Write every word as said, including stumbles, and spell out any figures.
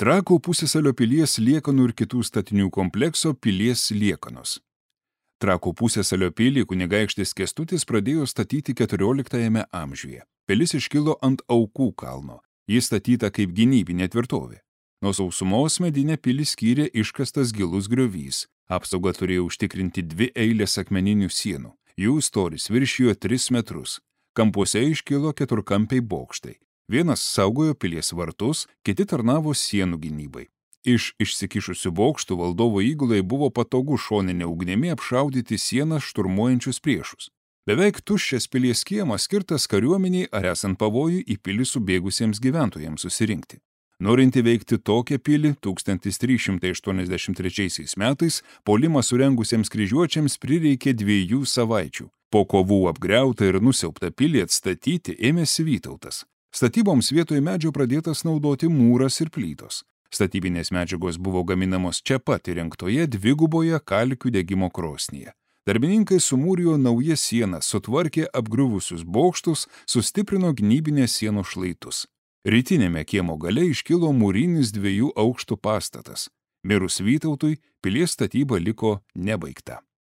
Trakų pusiasalio pilies liekanų ir kitų statinių komplekso pilies liekanos. Trakų pusiasalio pilį kunigaikštis Kęstutis pradėjo statyti keturioliktajame amžiuje. Pilis iškilo ant Aukų kalno. Jis statyta kaip gynybinė tvirtovė. Nuo sausumos medinę pilį skyrė iškastas gilus griovys. Apsaugą turėjo užtikrinti dvi eilės akmeninių sienų. Jų storis viršijo tris metrus. Kampuose iškilo keturkampiai bokštai. Vienas saugojo pilies vartus, kiti tarnavo sienų gynybai. Iš išsikišusių bokštų valdovo įgulai buvo patogu šoninė ugnimi apšaudyti sieną šturmuojančius priešus. Beveik tuščias pilies kiemas skirtas kariuomeniai ar esant pavojui į pilį subėgusiems gyventojams susirinkti. Norint įveikti tokią pilį, tūkstantis trys šimtai aštuoniasdešimt trečiaisiais metais puolimą surengusiems kryžiuočiams prireikė dviejų savaičių. Po kovų apgriautą ir nusiaubtą pilį atstatyti ėmėsi Vytautas. Statyboms vietoje medžio pradėtas naudoti mūras ir plytos. Statybinės medžiagos buvo gaminamos čia pat įrengtoje dviguboje kalkių degimo krosnyje. Darbininkai sumūrijo naujas sienas, sutvarkė apgriuvusius bokštus, sustiprino gynybinės sienos šlaitus. Rytinėme kiemo gale iškilo mūrinis dviejų aukštų pastatas. Mirus Vytautui, pilies statyba liko nebaigta.